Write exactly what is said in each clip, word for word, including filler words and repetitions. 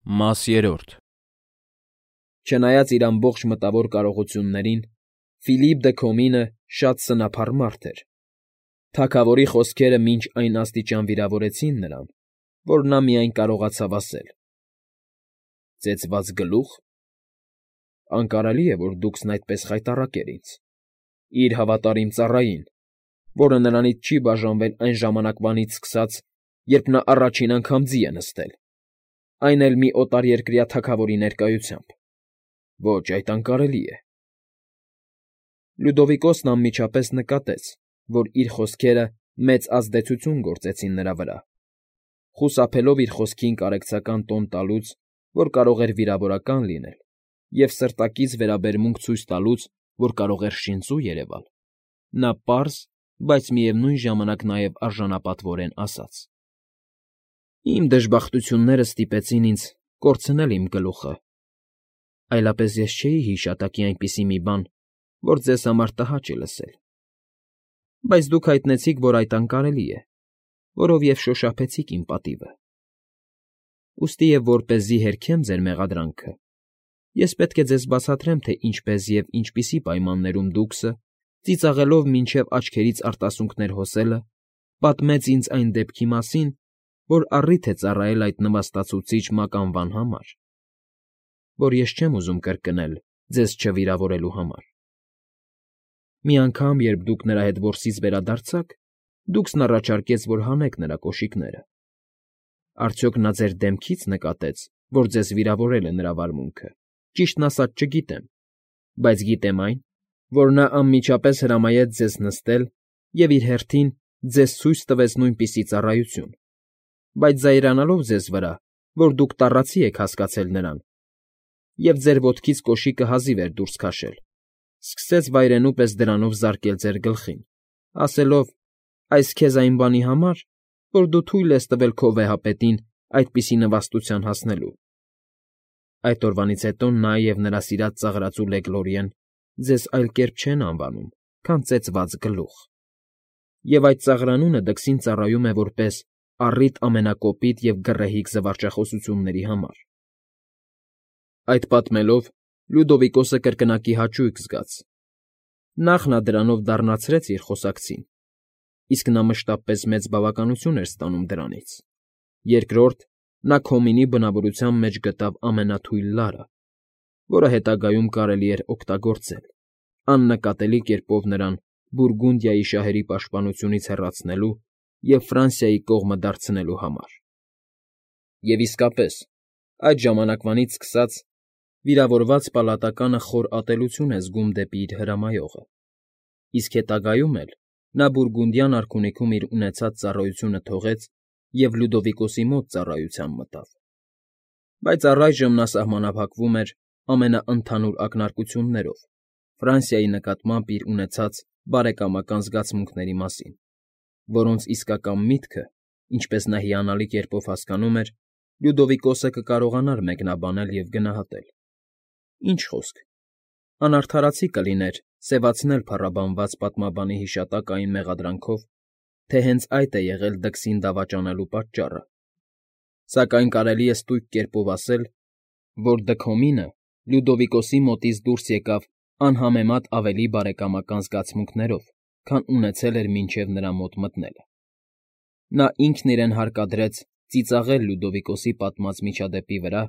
Մաս Չնայած իր ամբողջ մտավոր կարողություններին, Ֆիլիպ դը Քոմինը շատ սնափառ մարդ էր. թագավորի խոսքերը մինչ այն աստիճան վիրավորեցին նրան, որ նա միայն կարողացավ ասել. ֊ Ծեծված գլո՞ւխ… Անկարելի է, որ դուքսն այդպես խայտառակեր ինձ, իր հավատարիմ ծառային, որը նրանից չի բաժանվել այն ժամանակվանից սկսած, երբ նա առաջին անգամ ձի է նստել, այն էլ մի օտարերկրյա թագավորի ներկայությամբ… Ոչ, այդ անկարելի է… Լյուդովիկոսն անմիջապես նկատեց, որ իր խոսքերը մեծ ազդեցություն գործեցին նրա վրա, խուսափելով իր խոսքին կարեկցական տոն տալուց, որ կարող էր վիրավորական լինել, և սրտակից վերաբերմունք ցույց տալուց, որ կարող էր շինծու երևալ, նա պարզ, բայց միևնույն ժամանակ նաև արժանապատվորեն ասաց. ֊ Իմ դժբախտությունները ստիպեցին ինձ կորցնել իմ գլուխը, այլապես ես չէի հիշատակի այնպիսի մի բան, որ ձեզ համար տհաճ է լսել, բայց դուք հայտնեցիք, որ այդ անկարելի է, որովև շոշափեցիք իմ պատիվը… Ուստի և որպեսզի հերքեմ ձեր մեղադրանքը, ես պետք է ձեզ բացատրեմ, թե ինչպես և ինչպիսի պայմաններում դուքսը, ծիծաղելով մինչև աչքերից արտասուքներ հոսելը, պատմեց ինձ այն դեպքի մասին, որ առիթ է ծառայել այդ նվաստացուցիչ մականվան համար, որ ես չեմ ուզում կրկնել ձեզ չվիրավորելու համար… Մի անգամ, երբ դուք նրա հետ որսից վերադարձաք, դուքսն առաջարկեց, որ հանեք նրա կոշիկները… Արդյոք նա ձեր դեմքի՞ց նկատեց, որ ձեզ վիրավորել է նրա վարմունքը, ճիշտն ասած չգիտեմ, բայց գիտեմ այն, որ նա անմիջապես հրամայեց ձեզ նստել և իր հերթին ձեզ ցույց տվեց նույնպիսի ծառայություն, բայց զայրանալով ձեզ վրա, որ դուք տառացի եք հասկացել նրան, և ձեր ոտքից կոշիկը հազիվ էր դուրս քաշել, սկսեց վայրենու պես դրանով զարկել ձեր գլխին, ասելով. «Այս քեզ այն բանի համար, որ դու թույլ ես տվել քո վեհապետին այդպիսի նվաստության հասնելու… Այդ օրվանից հետո նա և նրա սիրած ծաղրածու Լեգլորիեն ձեզ այլ կերպ չեն անվանում, քան ծեծված գլուխ, և այդ ծաղրանունը դքսին ծառայում է որպես առիթ ամենակոպիտ և գռեհիկ զվարճախոսությունների համար…» Այդ պատմելով՝ Լյուդովիկոսը կրկնակի հաճույք զգաց. նախ նա դրանով դառնացրեց իր խոսակցին, իսկ նա մշտապես մեծ բավականություն էր ստանում դրանից, երկրորդ՝ նա Քոմինի բնավորության մեջ գտավ ամենաթույլ լարը, որը հետագայում կարելի էր օգտագործել, աննկատելի կերպով նրան Բուրգունդիայի շահերի պաշտպանությունից հեռացնելու և Ֆրանսիայի կողմը դարձնելու համար… Եվ իսկապես, այդ ժամանակվանից սկսած, վիրավորված պալատականը խոր ատելություն է զգում դեպի իր հրամայողը, իսկ հետագայում էլ նա Բուրգունդյան արքունիքում իր ունեցած ծառայությունը թողեց և Լյուդովիկոսի մոտ ծառայության մտավ, բայց առայժմ նա սահմանափակվում էր ամենաընդհանուր ակնարկություններով Ֆրանսիայի նկատմամբ իր ունեցած բարեկամական զգացմունքների մասին, որոնց իսկական միտքը, ինչպես նա հիանալի կերպով հասկանում էր, Լյուդովիկոսը կկարողանար մեկնաբանել և գնահատել… Ինչ խոսք, անարդարացի կլիներ սևացնել փառաբանված պատմաբանի հիշատակը այն մեղադրանքով, թե հենց այդ է եղել դքսին դավաճանելու պատճառը, սակայն կարելի է ստույգ կերպով ասել, որ դը Քոմինը Լյուդովիկոսի մոտից դուրս եկավ անհամեմատ ավելի բարեկամական զգացմունքներով, քան ունեցել էր մինչև նրա մոտ մտնելը… Նա ինքն իրեն հարկադրեց ծիծաղել Լյուդովիկոսի պատմած միջադեպի վրա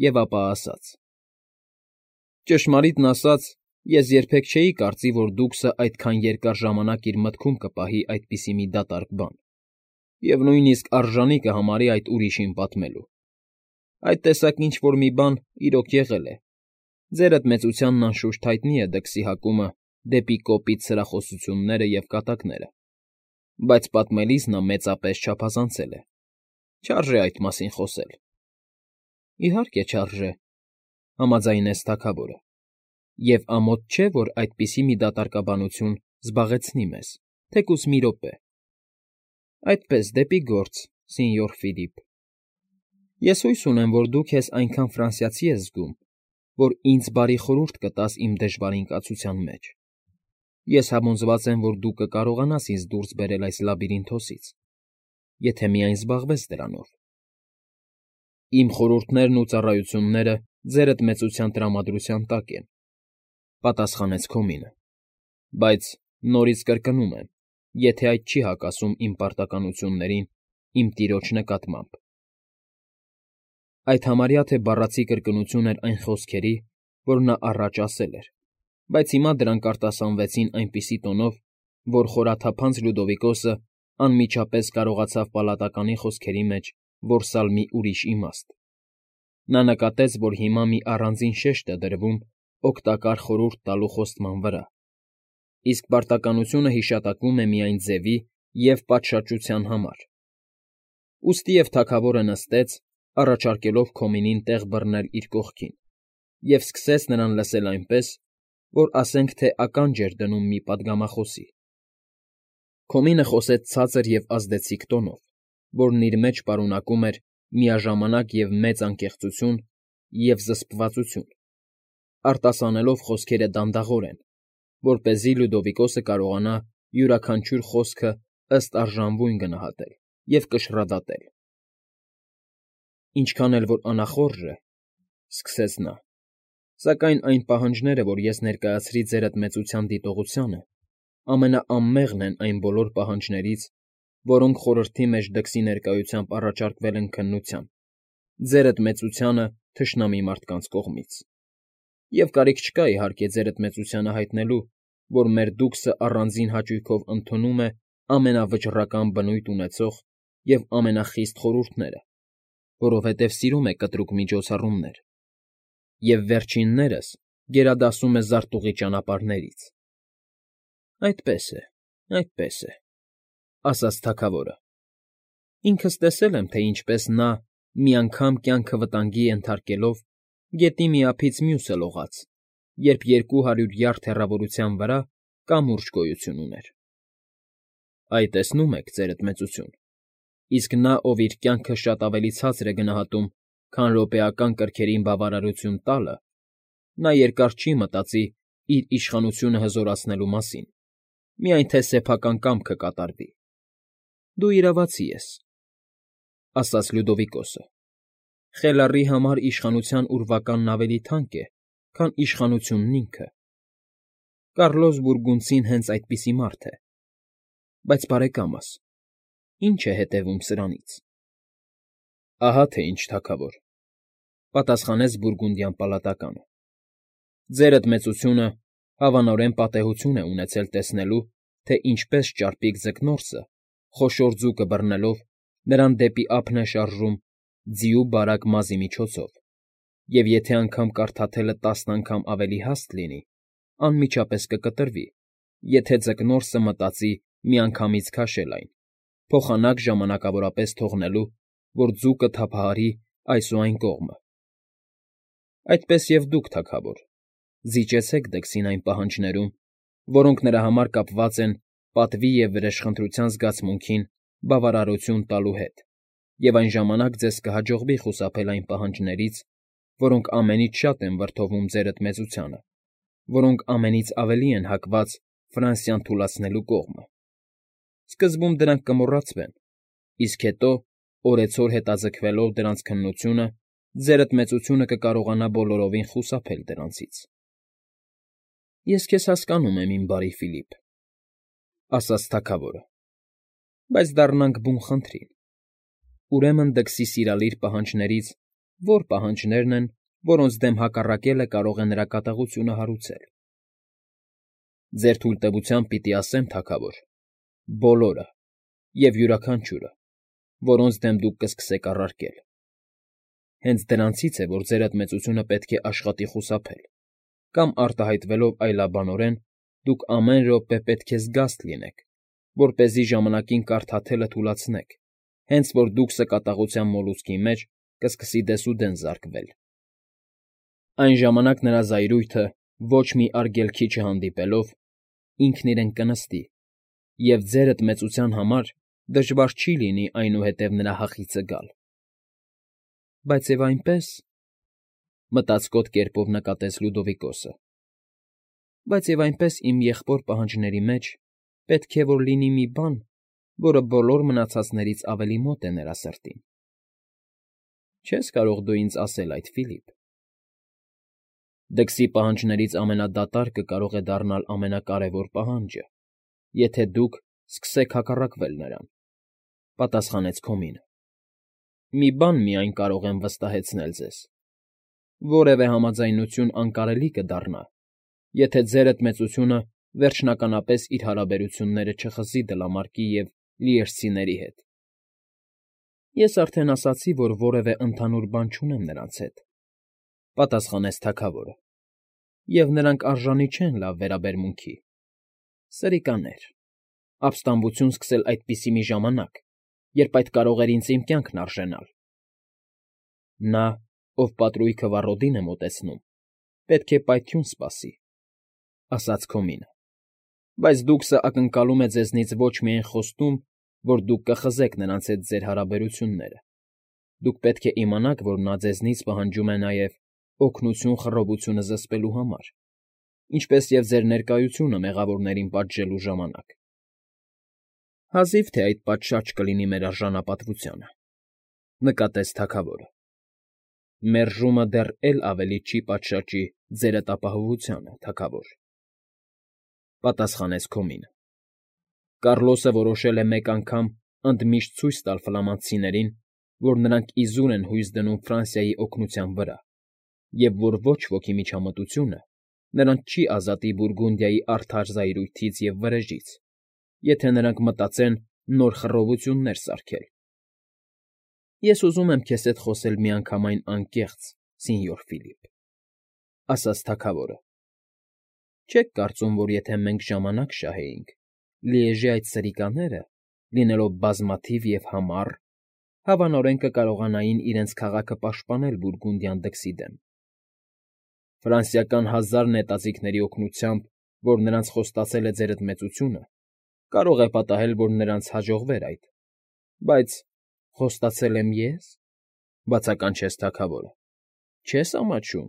և ապա ասաց. «Ճշմարիտն ասած, ես երբեք չէի կարծի, որ դուքսը այդքան երկար ժամանակ իր մտքում կպահի այդպիսի մի դատարկ բան և նույնիսկ արժանի կհամարի այդ ուրիշին պատմելու… Այդ տեսակ ինչ֊որ մի բան, իրոք, եղել է, ձերդ մեծությանն անշուշտ հայտնի է դքսի հակումը դեպի կոպիտ սրախոսությունները և կատակները, բայց պատմելիս նա մեծապես չափազանցել է, չարժե այդ մասին խոսել… ֊ Իհարկե չարժե,֊ համաձայնեց թագավորը,֊ և ամոթ չէ, որ այդպիսի մի դատարկաբանություն զբաղեցնի մեզ, թեկուզ մի րոպե… Այդպես, դեպի գործ, սենյոր Ֆիլիպ… Ես հույս ունեմ, որ դու քեզ այնքան ֆրանսիացի ես զգում, որ ինձ բարի խորհուրդ կտաս իմ դժվար ընկածության մեջ… Ես համոզված եմ, որ դու կկարողանաս ինձ դուրս բերել այս լաբիրինթոսից, եթե միայն զբաղվես դրանով… Իմ խորհուրդներն ու ծառայությունները ձերդ մեծության տրամադրության տակ են,֊ պատասխանեց Քոմինը,֊ բայց նորից կրկնում եմ, եթե այդ չի հակասում իմ պարտականություններին իմ տիրոջ նկատմամբ… Այդ համարյա թե բառացի կրկնություն էր այն խոսքերի, որ նա առաջ ասել էր, բայց հիմա դրանք արտասանվեցին այնպիսի տոնով, որ խորաթափանց Լյուդովիկոսը անմիջապես կարողացավ պալատականի խոսքերի մեջ որսալ մի ուրիշ իմաստ. նա նկատեց, որ հիմա մի առանձին շեշտ է դրվում օգտակար խորհուրդ տալու խոստման վրա, իսկ պարտականությունը հիշատակվում է միայն ձևի և պատշաճության համար, ուստիև թագավորը նստեց, առաջարկելով Քոմինին տեղ բռնել իր կողքին, և սկսեց նրան լսել այնպես, որ ասենք թե ականջ էր դնում մի պատգամախոսի. Քոմինը խոսեց ցածր և ազդեցիկ տոնով, որն իր մեջ պարունակում էր միաժամանակ և մեծ անկեղծություն և զսպվածություն, արտասանելով խոսքերը դանդաղորեն, որպեսզի Լյուդովիկոսը կարողանա յուրաքանչյուր խոսքը ըստ արժանվույն գնահատել և կշռադատել։ ֊ Ինչքան էլ որ անախորժ է,֊ սկսեց նա,֊ սակայն այն պահանջները, որ ես ներկայացրի ձերդ մեծության դիտողությանը, ամենաանմեղն են այն բոլոր պահանջներից, որոնք խորհրդի մեջ դքսի ներկայությամբ առաջարկվել են քննության, ձերդ մեծությանը թշնամի մարդկանց կողմից, և կարիք չկա, իհարկե, ձերդ մեծությանը հայտնելու, որ մեր դուքսը առանձին հաճույքով ընդունում է ամենավճռական բնույթ ունեցող և ամենախիստ խորհուրդները, որովհետև սիրում է կտրուկ միջոցառումներ, և վերջիններս գերադասում է զարտուղի ճանապարհներից։ ֊ Այդպես է, այդպես է,֊ ասաց թագավորը,֊ ինքս տեսել եմ, թե ինչպես նա, մի անգամ կյանքը վտանգի ենթարկելով, գետի մի ափից մյուսը լողաց, երբ երկու հարյուր յարդ հեռավորության վրա կամուրջ գոյություն ուներ։ ֊ Այ, տեսնում եք, ձերդ մեծություն, իսկ նա, ով իր կյանքը շատ ավելի ցածր է գնահատում, քան րոպեական կրքերին բավարարություն տալը, նա երկար չի մտածի իր իշխանությունը հզորացնելու մասին, միայն թե սեփական կամքը կատարվի։ ֊ Դու իրավացի ես,֊ ասաց Լյուդովիկոսը,֊ խելառի համար իշխանության ուրվականն ավելի թանկ է, քան իշխանությունն ինքը. Կառլոս Բուրգունդցին հենց այդպիսի մարդ է, բայց, բարեկամս, ի՞նչ է հետևում սրանից։ ֊ Ահա թե ինչ, թագավոր,֊ պատասխանեց բուրգունդյան պալատականը,֊ ձերդ մեծությունը հավանորեն պատեհություն է ունեցել տեսնելու, թե ինչպես ճարպիկ ձկնորսը, խոշոր ձուկը բռնելով, նրան դեպի ափն է շարժում ձիու բարակ մազի միջոցով, և եթե անգամ կարդաթելը տասն անգամ ավելի հաստ լինի, անմիջապես կկտրվի, եթե ձկնորսը մտածի միանգամից քաշել այն, փոխանակ ժամանակավորապես թողնելու, որ ձուկը թափահարի այս ու այն կողմը։ Այդպես և դուք, թագավոր, զիջեցեք դքսին այն պահանջներում, որոնք նրա համար կապված են պատվի և վրեժխնդրության զգացմունքին բավարարություն տալու հետ, և այն ժամանակ ձեզ կհաջողվի խուսափել այն պահանջներից, որոնք ամենից շատ են վրդովում ձերդ մեծությանը, որոնք ամենից ավելի են հակված Ֆրանսիան թուլացնելու կողմը։ Սկզբում դրանք կմոռացվեն, իսկ հետո, օրեցօր հետաձգվելով դրանց քննությունը, ձերդ մեծությունը կկարողանա բոլորովին խուսափել դրանցից։ ֊ Ես քեզ հասկանում եմ, իմ բարի Ֆիլիպ,֊ ասաց թագավորը,֊ բայց դառնանք բուն խնդրին. ուրեմն դքսի սիրալիր պահանջներից ո՞ր պահանջներն են, որոնց դեմ հակառակելը կարող է նրա կատաղությունը հարուցել։ ֊ Ձեր թույլտվությամբ պիտի ասեմ, թագավոր, բոլորը և յուրաքանչյուրը, որոնց դեմ դուք կսկսեք առարկել։ Հենց դրանցից է, որ ձերդ մեծությունը պետք է աշխատի խուսափել, կամ արտահայտվելով այլաբանորեն, դուք ամեն րոպե պետք է զգաստ լինեք, որպեսզի ժամանակին կարդաթելը թուլացնեք, հենց որ դուքսը կատաղության մոլուցքի մեջ կսկսի դեսուդեն զարկվել։ Այն ժամանակ նրա զայրույթը, ոչ մի արգելքի չհանդիպելով, ինքն իրեն կնստի, և ձերդ մեծության համար դժվար չի լինի այնուհետև նրա հախիծը գալ։ ֊ Բայց և այնպես,֊ մտածկոտ կերպով նկատեց Լյուդովիկոսը,֊ բայց և այնպես իմ եղբոր պահանջների մեջ պետք է որ լինի մի բան, որը բոլոր մնացածներից ավելի մոտ է նրա սրտին։ Չես կարող դու ինձ ասել այդ, Ֆիլիպ։ Դքսի պահանջներից ամենադատարկը կարող է դառնալ ամենակարևոր պահանջը, եթե դուք սկսեք հակառակվել նրան,֊ պատասխանեց Քոմինը։ Մի բան միայն կարող եմ վստահեցնել ձեզ. որևէ համաձայնություն անկարելի կդառնա, եթե ձերդ մեծությունը վերջնականապես իր հարաբերությունները չխզի դլամարկի և լիերսցիների հետ։ Ես արդեն ասացի, որ որևէ ընդհանուր բան չունեմ նրանց հետ,֊ պատասխանեց թագավորը,֊ և նրանք արժանի չեն լավ վերաբերմունքի։ Սրիկաներ, ապստամբություն սկսել այդպիսի մի ժամանակ, երբ այդ կարող էր ինձ իմ կյանքն արժենալ։ Նա, ով պատրույգը վառոդին է մոտեցնում, պետք է պայթյուն սպասի,֊ ասաց Քոմինը,֊ բայց դուքսը ակնկալում է ձեզնից ոչ միայն խոստում, որ դուք կխզեք նրանց հետ ձեր հարաբերությունները, դուք պետք է իմանաք, որ նա ձեզնից պահանջում է նաև օգնություն խռովությունը զսպելու համար, ինչպես և ձեր ներկայությունը մեղավորներին պատժելու ժամանակ։ Հազիվ թե այդ պատշաճ կլինի մեր արժանապատվությանը,֊ նկատեց թագավորը։ Մերժումը դեռ էլ ավելի չի պատշաճի ձերդ ապահովությանը, թագավոր,֊ պատասխանեց Քոմինը։ Կառլոսը որոշել է մեկ անգամ ընդմիշտ ցույց տալ ֆլամանդցիներին, որ նրանք իզուր են հույս դնում Ֆրանսիայի օգնության վրա, և որ ոչ ոքի միջամտությունը նրանց չի ազատի Բուրգունդիայի արդար զայրույթից և վրեժից, եթե նրանք մտածեն նոր խռովություններ սարքել։ Ես ուզում եմ քեզ հետ խոսել միանգամայն անկեղծ, սենյոր Ֆիլիպ,֊ ասաց թագավորը։ Չեք կարծում, որ եթե մենք ժամանակ շահեինք, Լիեժի այդ սրիկաները, լինելով բազմաթիվ և համառ, հավանորեն կկարողանային իրենց քաղաքը պաշտպանել Բուրգունդիան դքսի դեմ։ Ֆրանսիական հազար նետաձիգների օգնությամբ, որ նրանց խոստացել է ձերդ մեծությունը, կարող է պատահել, որ նրանց հաջողվեր այդ, բայց խոստացե՞լ եմ ես,֊ բացականչեց թագավորը։ Չես ամաչում,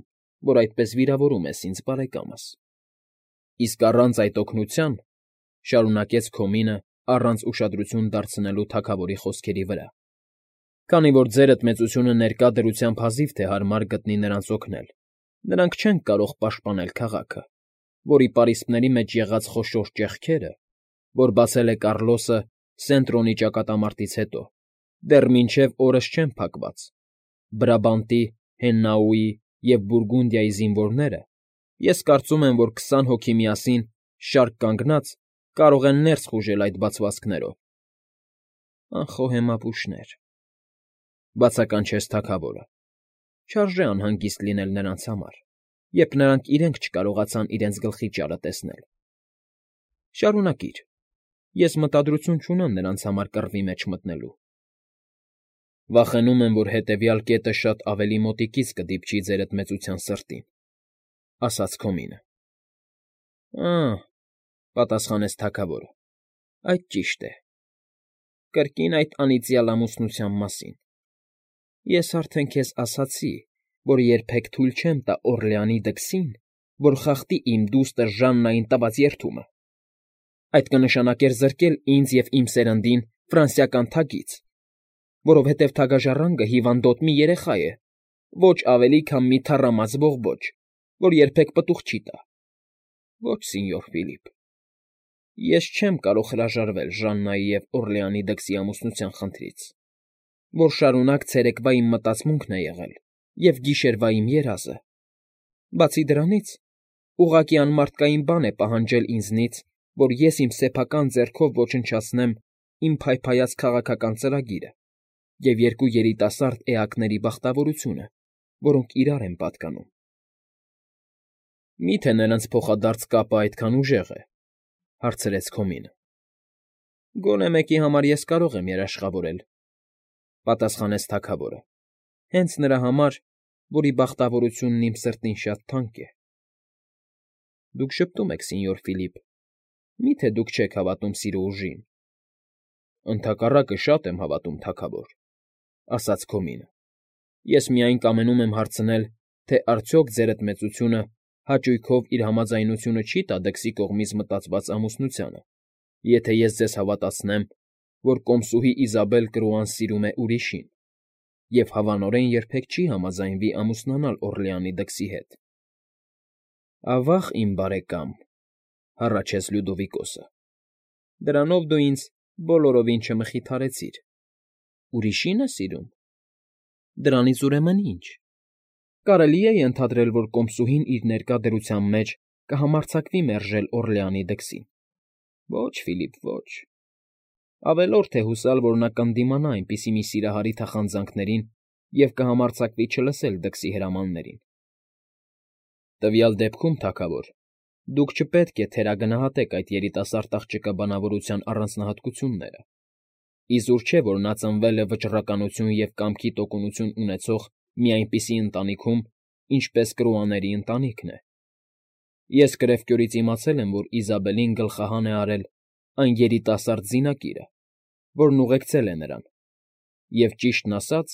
որ այդպես վիրավորում ես ինձ, բարեկամս։ Իսկ առանց այդ օգնության,֊ շարունակեց Քոմինը առանց ուշադրություն դարձնելու թագավորի խոսքերի վրա,֊ քանի որ ձերդ մեծությունը ներկա դրությամբ հազիվ թե հարմար գտնի նրանց օգնել, նրանք չեն կարող պաշտպանել քաղաքը, որի պարիսպների մեջ եղած խոշոր ճեղքերը, որ բացել է Կառլոսը Սենտրոնի ճակատամարտից հետո, դեռ մինչև օրս չեն փակված։ Բրաբանտի, Հեննաուի և Բուրգունդիայի զինվորները, ես կարծում եմ, որ քսան հոգի միասին, շարք կանգնած, կարող են ներս խուժել այդ բացվածքներով։ Անխոհեմ ապուշներ,֊ բացականչեց թագավորը։ Չարժե անհանգիստ լինել նրանց համար, երբ նրանք իրենք չկարողացան իրենց գլխի ճարը տեսնել։ Շարունակիր, ես մտադրություն չունեմ նրանց համար կռվի մեջ մտնելու։ Վախենում եմ, որ հետևյալ կետը շատ ավելի մոտիկից կդիպչի ձերդ մեծության սրտին,֊ ասաց Քոմինը։ Ա՛հ,֊ պատասխանեց թագավորը,֊ այդ ճիշտ է։ Կրկին այդ անիծյալ ամուսնության մասին։ Ես արդեն քեզ ասացի, որ երբեք թույլ չեմ տա Օռլեանի դքսին, որ խախտի իմ դուստր Ժաննային տված երդումը։ Այդ կնշանակեր զրկել ինձ և իմ սերնդին ֆրանսիական թագից, որովհետև թագաժառանգը հիվանդոտ մի երեխա է, ոչ ավելի, քան մի թառամած ողբոջ, որ երբեք պտուղ չի տա։ Ոչ, սենյոր Ֆիլիպ, ես չեմ կարող հրաժարվել Ժաննայի և Օռլեանի դքսի ամուսնության խնդրից, որ շարունակ ցերեկվա իմ մտածմունքն է եղել և գիշերվա իմ երազը։ Բացի դրանից, ուղղակի անմարդկային բան է պահանջել ինձնից, որ ես իմ սեփական ձեռքով ոչնչացնեմ իմ փայփայած քաղաքական ծրագիրը և երկու երիտասարդ էակների բախտավորությունը, որոնք իրար են պատկանում։ Մի՞թե նրանց փոխադարձ կապը այդքան ուժեղ է,֊ հարցրեց Քոմինը։ Գոնե մեկի համար ես կարող եմ երաշխավորել,֊ պատասխանեց թագավորը,֊ հենց նրա համար, որի բախտավորությունն իմ սրտին շատ թանկ է։ Դուք ժպտում եք, սենյոր Ֆիլիպ, մի՞թե դուք չեք հավատում սիրո ուժին։ Ընդհակառակը շատ եմ հավատում, թագավոր,֊ ասաց Քոմինը։ Ես միայն կամենում եմ հարցնել, թե արդյոք ձերդ մեծությունը հաճույքով իր համաձայնությունը չի՞ տա դքսի կողմից մտածված ամուսնությանը, եթե ես ձեզ հավատացնեմ, որ կոմսուհի Իզաբել Կրուան սիրում է ուրիշին, և հավանորեն երբեք չի համաձայնվի ամուսնանալ Օռլեանի դքսի հետ։ ֊ Ավա՜ղ, իմ բարեկամ,֊ հառաչեց Լյուդովիկոսը,֊ դրանով դու ինձ բոլորովին չմխիթարեցիր… Ուրիշի՞ն է սիրում։ ֊ Դրանից ուրեմն ի՞նչ… Կարելի է ենթադրել, որ կոմսուհին իր ներկա դրության մեջ կհամարձակվի մերժել Օռլեանի դքսին… Ոչ, Ֆիլիպ, ոչ… Ավելորդ է հուսալ, որ նա կնդիմանա այնպիսի մի սիրահարի թախանձանքներին և կհամարձակվի չլսել դքսի հրամաններին… Տվյալ դեպքում, թագավոր, դուք չպետք է թերագնահատեք այդ երիտասարդ աղջկա բանավորության առանձնահատկությունները… Իզուր չէ, որ նա ծնվել է վճռականություն և կամքի տոկունություն ունեցող մի այնպիսի ընտանիքում, ինչպես Կրուաների ընտանիքն է… Ես կրևկյորից իմացել եմ, որ Իզաբելին գլխահան է արել այն երիտասարդ զինակիրը, որն ուղեկցել է նրան, և, ճիշտն ասած,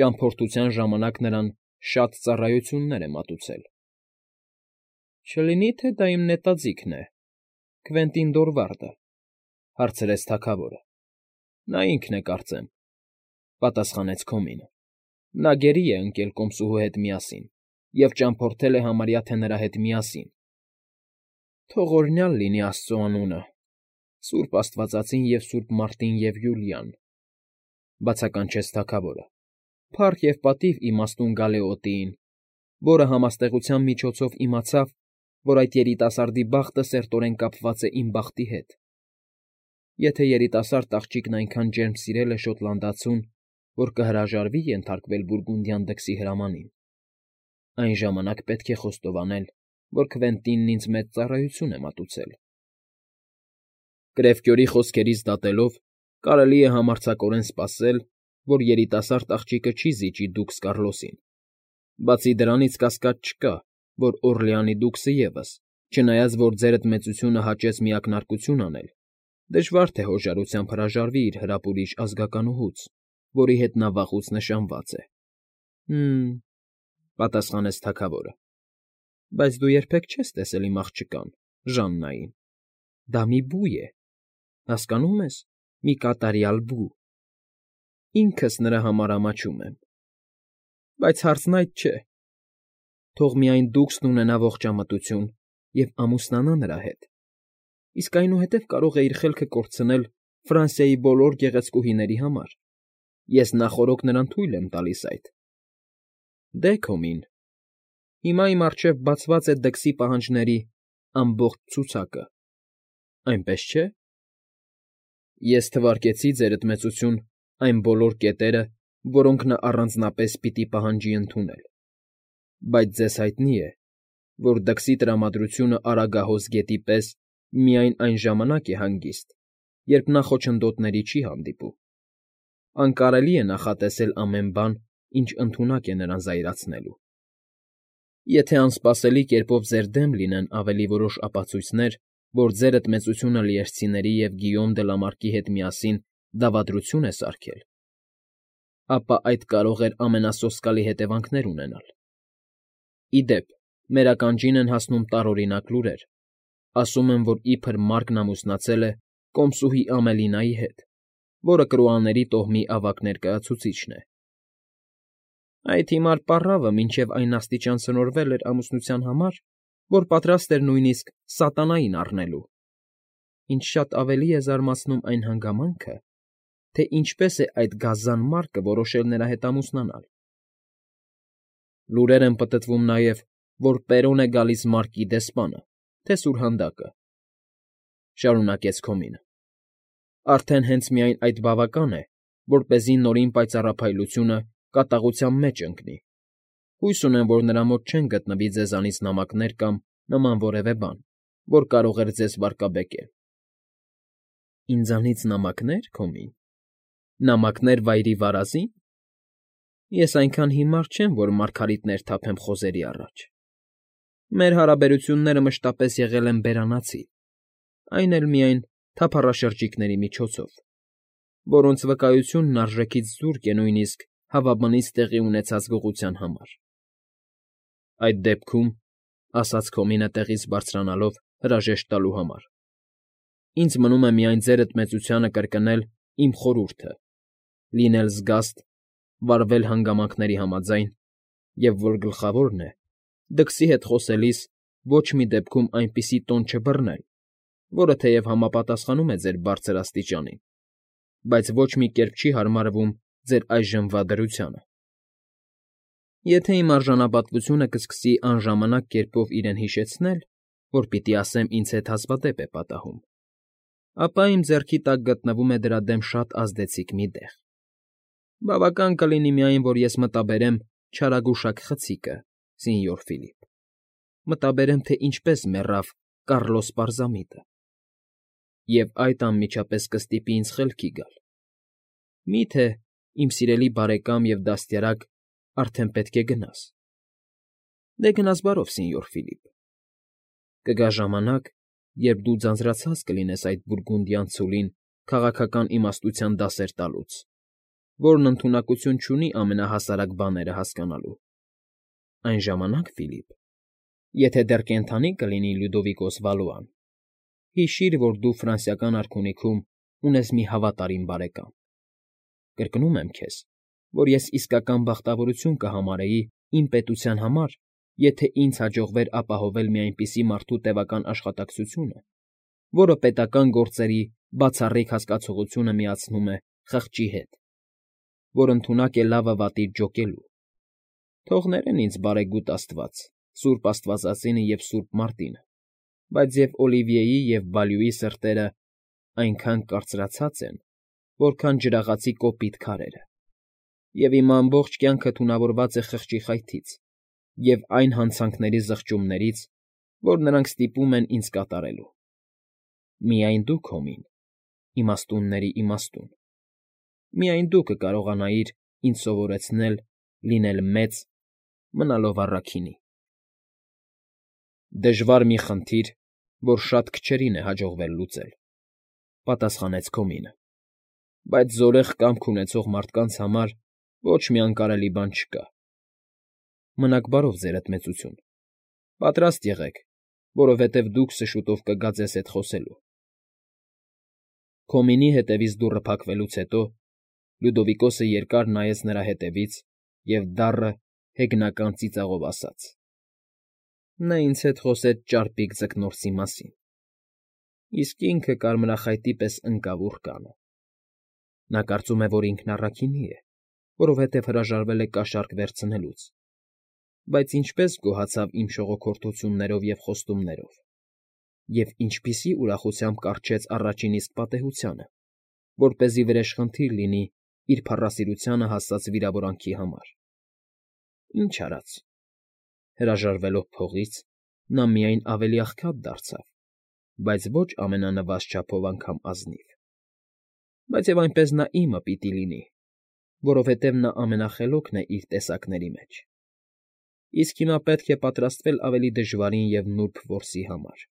ճամփորդության ժամանակ նրան շատ ծառայություններ է մատուցել։ ֊ Չլինի՞ թե դա իմ նետաձիգն է, Քվենտին Դորվարդը,֊ հարցրեց թագավորը։ ֊ Նա ինքն է, կարծեմ,֊ պատասխանեց Քոմինը։ Նա գերի է ընկել կոմսուհու հետ միասին և ճամփորդել է համարյա թե նրա հետ միասին… Թող օրհնյալ լինի աստծու անունը, սուրբ աստվածածին և սուրբ Մարտին և Յուլիան,֊ բացականչեց թագավորը,֊ փառք և պատիվ իմաստուն Գալեոդիին, որը համաստեղության միջոցով իմացավ, որ այդ երիտասարդի բախտը սերտորեն կապված է իմ բախտի հետ… Եթե երիտասարդ աղջիկն այնքան ջերմ սիրել է շոտլանդացուն, որ կհրաժարվի ենթարկվել բուրգունդյան դքսի հրամանին, այն ժամանակ պետք է խոստովանել, որ Քվենտինն ինձ մեծ ծառայություն է մատուցել… Կրևկյորի խոսքերից դատելով, կարելի է համարձակորեն սպասել, որ երիտասարդ աղջիկը չի զիջի դուքս Կառլոսին… Բացի դրանից կասկած չկա, որ Օռլեանի դուքսը ևս, չնայած որ ձերդ մեծությունը հաճեց միակնարկություն անել, դժվար թե հոժարությամբ հրաժարվի իր հրապուրիչ ազգականուհուց, որի հետ նա վաղուց նշանված է։ ֊ Հը՜մ,֊ պատասխանեց թագավորը,֊ բայց դու երբեք չես տեսել իմ աղջկան, Ժաննային… Դա մի բու է, հասկանո՞ւմ ես, մի կատարյալ բու… Ինքս նրա համար ամաչում եմ… Բայց հարցն այդ չէ… Թող միայն դուքսն ունենա ողջամտություն և ամուսնանա նրա հետ, իսկ այնուհետև կարող է իր խելքը կորցնել Ֆրանսիայի բոլոր գեղեցկուհիների համար… Ես նախօրոք նրան թույլ եմ տալիս այդ… Դե, Քոմին, հիմա իմ առջև բացված է դքսի պահանջների ամբողջ ցուցակը, այնպես չէ… Ես թվարկեցի, ձերդ մեծություն, այն բոլոր կետերը, որոնք նա առանձնապես պիտի պահանջի ընդունել… Բայց ձեզ հայտնի է, որ դքսի տրամադրությունը Արագահոս գետի պես միայն այն ժամանակ է հանգիստ, երբ նա խոչընդոտների չի հանդիպում… Անկարելի է նախատեսել ամեն բան, ինչ ընդունակ է նրան զայրացնելու… Եթե անսպասելի կերպով ձեր դեմ լինեն ավելի որոշ ապացույցներ, որ ձերդ մեծությունը լիերցիների և Գիյոմ դը Լամարկի հետ միասին դավադրություն է սարքել, ապա այդ կարող էր ամենասոսկալի հետևանքներ ունենալ… Ի դեպ, մեր ականջին են հասնում տարօրինակ լուրեր, ասում են, որ իբր Մարկն ամուսնացել է կոմսուհի Ամելինայի հետ, որը Կրուաների տոհմի ավագ ներկայացուցիչն է… Այդ հիմար պառավը մինչև այն աստիճան սնորվել էր ամուսնության համար, որ պատրաստ էր նույնիսկ սատանային առնելու… Ինչ շատ ավելի է զարմացնում այն հանգամանքը, թե ինչպես է այդ գազան Մարկը որոշել նրա հետ ամուսնանալ… Լուրեր են պտտվում նաև, որ Պերոն է գալիս Մարկի դեսպանը, թե սուրհանդակը,֊ շարունակեց Քոմինը,֊ արդեն հենց միայն այդ բավական է, որպեսզի նորին պայծառափայլությունը կատաղության մեջ ընկնի… Հույս ունեմ, որ նրա մոտ չեն գտնվի ձեզանից նամակներ կամ նման որևէ բան, որ կարող էր ձեզ վարկաբեկել… ֊ Ինձանից նամակնե՞ր, Քոմին… Նամակներ վայրի վարազի՞ն… Ես այնքան հիմար չեմ, որ մարգարիտներ թափեմ խոզերի առաջ… Մեր հարաբերությունները մշտապես եղել են բերանացի, այն էլ միայն թափառաշրջիկների միջոցով, որոնց վկայությունն արժեքից զուրկ է նույնիսկ հավաբնից տեղի ունեցած գողության համար… ֊ Այդ դեպքում,֊ ասաց Քոմինը տեղից բարձրանալով հրաժեշտ տալու համար,֊ ինձ մնում է միայն ձերդ մեծությանը կրկնել իմ խորհուրդը՝ լինել զգաստ վարվել հանգամանքների համաձայն և, որ գլխավորն է, դքսի հետ խոսելիս ոչ մի դեպքում այնպիսի տոն չբռնել, որը թեև համապատասխանում է ձեր բարձր աստիճանին, բայց ոչ մի կերպ չի հարմարվում ձեր այժմվա դրությանը։ Եթե իմ արժանապատվությունը կսկսի անժամանակ կերպով իրեն հիշեցնել, որ պիտի ասեմ ինձ հետ հազվադեպ է պատահում, ապա իմ ձեռքի տակ գտնվում է դրա դեմ շատ ազդեցիկ մի դեղ։ Բավական կլինի միայն, որ ես մտաբերեմ չարագուշակ խցիկը, սենյոր Ֆիլիպ, մտաբերեմ, թե ինչպես մեռավ Կառլոս պարզամիտը, և այդ անմիջապես կստիպի ինձ խելքի գալ. մի՞թե, իմ սիրելի բարեկամ և դաստիարակ, արդեն պետք է գնաս։ Դե գնաս բարով, սենյոր Ֆիլիպ, կգա ժամանակ, երբ դու ձանձրացած կլինես այդ բուրգունդյան ցուլին քաղաքական իմաստության դասեր տալուց, որն ընդունակություն չունի ամենահասարակ բաները հասկանալու։ Այն ժամանակ, Ֆիլիպ, եթե դեռ կենդանի կլինի Լյուդովիկոս Վալուան, հիշիր, որ դու ֆրանսիական արքունիքում ունես մի հավատարիմ բարեկամ։ Կրկնում եմ քեզ, որ ես իսկական բախտավորություն կհամարեի իմ պետության համար, եթե ինձ հաջողվեր ապահովել մի այնպիսի մարդու տևական աշխատակցությունը, որը պետական գործերի բացառիկ հասկացողությունը միացնում է խղճի հետ, որ ընդունակ է լավը վատից ջոկելու։ Թող ներեն ինձ բարեգութ աստված, սուրբ աստվածածինը և սուրբ Մարտինը, բայց և Օլիվիեի և Բալյուի սրտերը այնքան կարծրացած են, որքան ջրաղացի կոպիտ քարերը, և իմ ամբողջ կյանքը թունավորված է խղճի խայթից և այն հանցանքների զղջումներից, որ նրանք ստիպում են ինձ կատարելու։ Միայն դու, Քոմին, իմաստունների իմաստուն, միայն դու կկարողանայիր ինձ սովորեցնել լինել մեծ՝ մնալով առաքինի։ Դժվար մի խնդիր, որ շատ քչերին է հաջողվել լուծել,֊ պատասխանեց Քոմինը,֊ բայց զորեղ կամք ունեցող մարդկանց համար ոչ մի անկարելի բան չկա։ Մնաք բարով, ձերդ մեծություն, պատրաստ եղեք, որովհետև դուքսը շուտով կգա ձեզ հետ խոսելու։ Քոմինի հետևից դուռը փակվելուց հետո Լյուդովիկոսը երկար նայեց նրա ետևից և դառը, հեգնական ծիծաղով ասաց. նա ինձ հետ խոսեց ճարպիկ ձկնորսի մասին, իսկ ինքը կարմրախայտի պես ընկավ ուռկանը. նա կարծում է, որ ինքն առաքինի է, որովհետև հրաժարվել է կաշառք վերցնելուց, բայց ինչպե՜ս գոհացավ իմ շողոքորթություններով և խոստումներով, և ինչպիսի ուրախությամբ կառչեց առաջին իսկ պատեհությանը, որպեսզի վրեժխնդիր լինի իր փառասիրությանը հասած վիրավորանքի համար։ Ինչ արած, հրաժարվելով փողից, նա միայն ավելի աղքատ դարձավ, բայց ոչ ամենանվազ չափով անգամ ազնիվ։ Բայց և այնպես նա իմը պիտի լինի, որովհետև նա ամենախելոքն է իր տեսակների մեջ, իսկ հիմա պետք է պատրաստվել ավելի դժվարին և նուրբ որսի համար։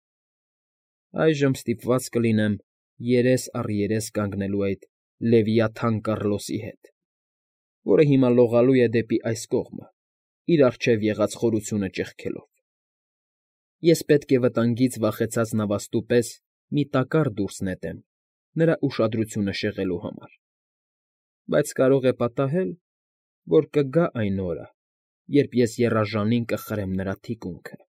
Այժմ ստիպված կլինեմ երես առ երես կանգնելու այդ Լևիաթան Կառլոսի հետ, որը հիմա լողալու է դեպի այս կողմը, իր առջև եղած խորությունը ճեղքելով։ Ես պետք է վտանգից վախեցած նավաստու պես մի տակառ դուրս նետեմ նրա ուշադրությունը շեղելու համար, բայց կարող է պատահել, որ կգա այն օրը, երբ ես եռաժանին կխրեմ նրա թիկունքը։